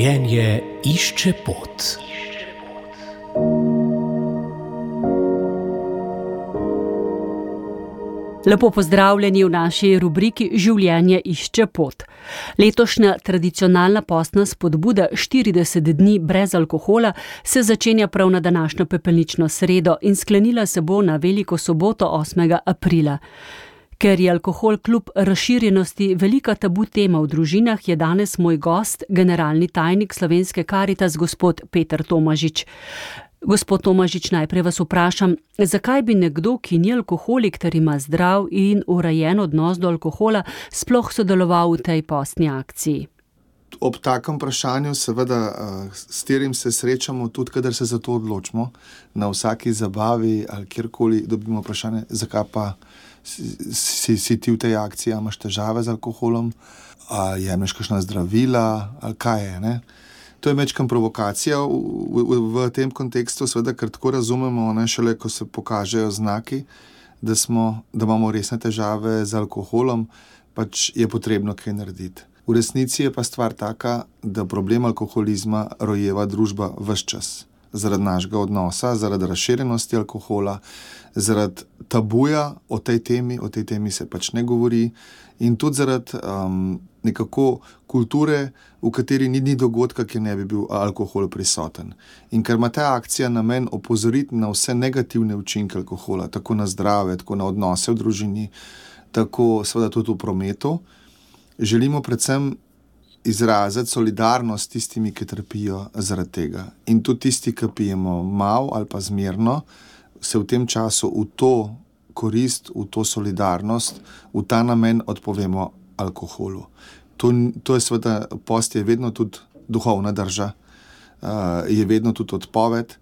Življenje išče pot. Lepo pozdravljeni v naši rubriki Življenje išče pot. Letošnja tradicionalna postna spodbuda 40 dni brez alkohola se začenja prav na današnjo pepelnično sredo in sklenila se bo na veliko soboto 8. aprila. Ker je alkohol kljub razširjenosti velika tabu tema v družinah, je danes moj gost, generalni tajnik Slovenske Karitas, gospod Peter Tomažič. Gospod Tomažič, najprej vas vprašam, zakaj bi nekdo, ki ni alkoholik ter ima zdrav in urejen odnos do alkohola, sploh sodeloval v tej postni akciji? Ob takem vprašanju, seveda, s katerim se srečamo tudi, kadar se za to odločimo, na vsaki zabavi ali kjerkoli dobimo vprašanje, zakaj pa si ti v tej akciji, a imaš težave z alkoholom, a jemlješ kakšna zdravila, ali kaj je, ne? To je mečkam provokacija v tem kontekstu, seveda, ker tako razumemo, ne, šele ko se pokažejo znaki, da imamo resne težave z alkoholom, pač je potrebno kaj narediti. V resnici je pa stvar taka, da problem alkoholizma rojeva družba ves čas. Zaradi našega odnosa, zaradi razširjenosti alkohola, zaradi tabuja o tej temi se pač ne govori in tudi zaradi nekako kulture, v kateri ni dogodka, ki ne bi bil alkohol prisoten. In ker ima ta akcija namen opozoriti na vse negativne učinke alkohola, tako na zdrave, tako na odnose v družini, tako seveda tudi v prometu, želimo predvsem izraziti solidarnost tistimi, ki trpijo zaradi tega. In tudi tisti, ki pijemo malo ali pa zmerno, se v tem času v to korist, v to solidarnost, v ta namen odpovemo alkoholu. To je seveda, post je vedno tudi duhovna drža, je vedno tudi odpoved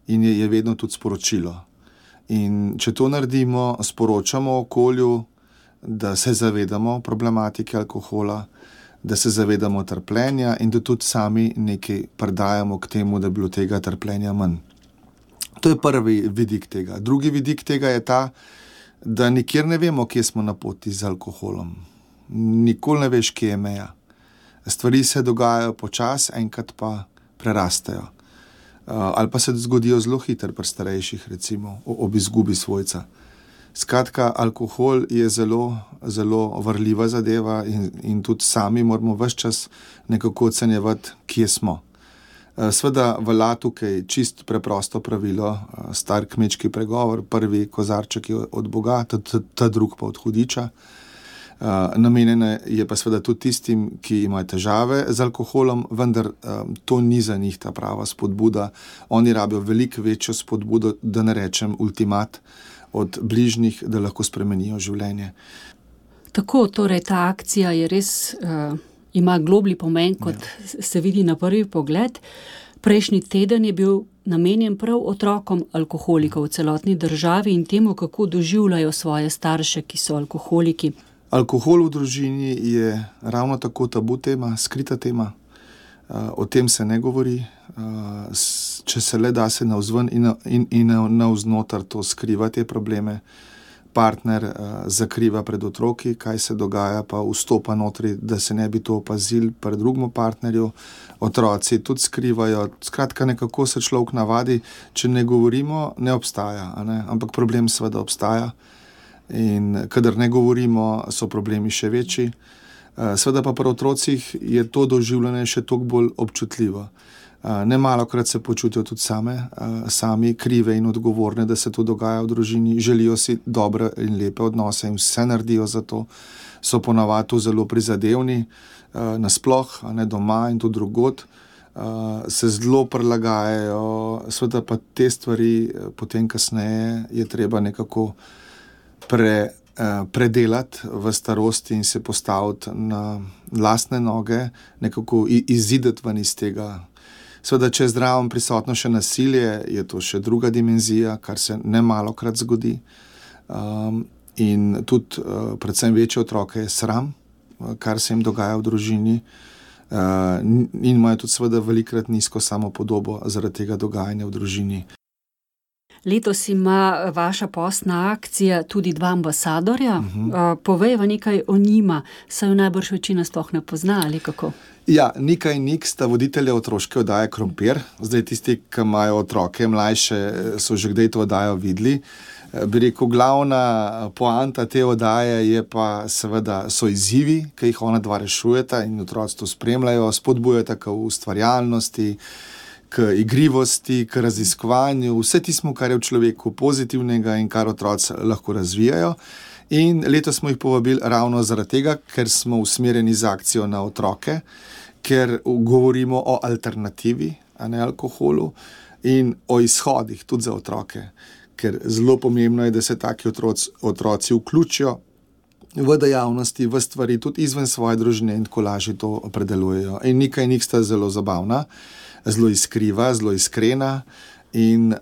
in je vedno tudi sporočilo. In če to naredimo, sporočamo okolju, da se zavedamo problematike alkohola, da se zavedamo trpljenja in da tudi sami nekaj predajamo k temu, da bi bilo tega trpljenja manj. To je prvi vidik tega. Drugi vidik tega je ta, da nikjer ne vemo, kje smo na poti z alkoholom. Nikoli ne veš, kje je meja. Stvari se dogajajo počasi, enkrat pa prerastejo. Ali pa se zgodijo zelo hitro pri starejših, recimo, ob izgubi svojca. Skratka, alkohol je zelo, zelo varljiva zadeva in tudi sami moramo ves čas nekako ocenjevati, kje smo. Sveda velja tukaj čisto preprosto pravilo, star kmečki pregovor, prvi kozarček je od Boga, ta drug pa od hudiča. Namenjena je pa seveda tudi tistim, ki imajo težave z alkoholom, vendar to ni za njih ta prava spodbuda. Oni rabijo veliko večjo spodbudo, da ne rečem ultimat, od bližnjih, da lahko spremenijo življenje. Tako, torej ta akcija je res, ima globlji pomen, kot se vidi na prvi pogled. Prejšnji teden je bil namenjen prav otrokom alkoholikov v celotni državi in temu, kako doživljajo svoje starše, ki so alkoholiki. Alkohol v družini je ravno tako tabu tema, skrita tema. O tem se ne govori. Če se le da se navzven in navznotar to skriva te probleme. Partner zakriva pred otroki, kaj se dogaja, pa vstopa notri, da se ne bi to opazili pri drugemu partnerju. Otroci tudi skrivajo. Skratka, nekako se človek navadi, če ne govorimo, ne obstaja, a ne? Ampak problem seveda obstaja. In kadar ne govorimo, so problemi še večji. Seveda pa pri otrocih je to doživljanje še toliko bolj občutljivo. Nemalokrat se počutijo tudi sami krive in odgovorne, da se to dogaja v družini, želijo si dobre in lepe odnose in vse naredijo za to, so ponavadi zelo prizadevni, nasploh, ne doma in tudi drugod, se zelo prilagajajo, seveda pa te stvari potem kasneje je treba nekako predelati v starosti in se postaviti na lastne noge, nekako izideti ven iz tega. Seveda, če je zraven prisotno še nasilje, je to še druga dimenzija, kar se nemalokrat zgodi. In tudi predvsem večje otroke je sram, kar se jim dogaja v družini. In imajo tudi seveda velikokrat nizko samopodobo zaradi tega dogajanja v družini. Letos ima vaša postna akcija tudi 2 ambasadorja. Povejva nekaj o njima, saj jo najbrž večina sploh ne pozna, ali kako? Ja, Nika in Nik sta voditelja otroške oddaje Krompir. Zdaj tisti, ki imajo otroke mlajše, so že kdaj to oddajo videli. Bi rekel, glavna poanta te oddaje je pa seveda so izzivi, ki jih ona dva rešujeta in otroci to spremljajo, spodbujata k ustvarjalnosti, k igrivosti, k raziskovanju, vse tismo, kar je v človeku pozitivnega in kar otroci lahko razvijajo. In letos smo jih povabili ravno zaradi tega, ker smo usmerjeni z akcijo na otroke, ker govorimo o alternativi, a ne alkoholu, in o izhodih tudi za otroke. Ker zelo pomembno je, da se taki otroci vključijo v dejavnosti, v stvari, tudi izven svoje družine in tako lažje to predelujejo. In Nika in Nik sta zelo zabavna, zelo iskriva, zelo iskrena in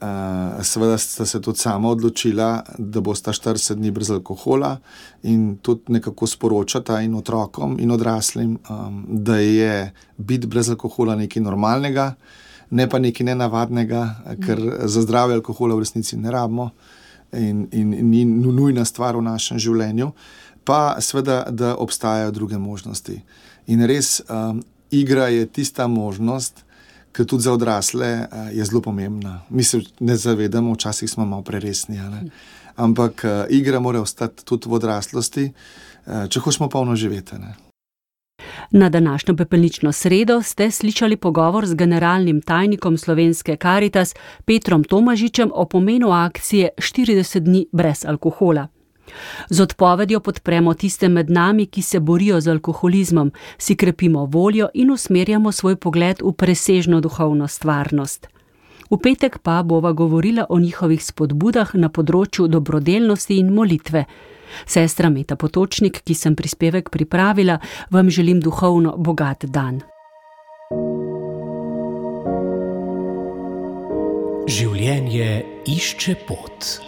seveda sta se tudi sama odločila, da bosta 40 dni brez alkohola in tudi nekako sporočata in otrokom in odraslim, da je biti brez alkohola nekaj normalnega, ne pa nekaj nenavadnega, ker za zdravje alkohola v resnici ne rabimo in ni nujna stvar v našem življenju, pa seveda, da obstajajo druge možnosti. In res, igra je tista možnost, ki tudi za odrasle je zelo pomembna. Mi se ne zavedamo, včasih smo malo preresni, ampak igra mora ostati tudi v odraslosti, če hočemo polno živeti. Na današnjo pepelnično sredo ste slišali pogovor z generalnim tajnikom Slovenske Karitas Petrom Tomažičem o pomenu akcije 40 dni brez alkohola. Z odpovedjo podpremo tiste med nami, ki se borijo z alkoholizmom, si krepimo voljo in usmerjamo svoj pogled v presežno duhovno stvarnost. V petek pa bova govorila o njihovih spodbudah na področju dobrodelnosti in molitve. Sestra Meta Potočnik, ki sem prispevek pripravila, vam želim duhovno bogat dan. Življenje išče pot.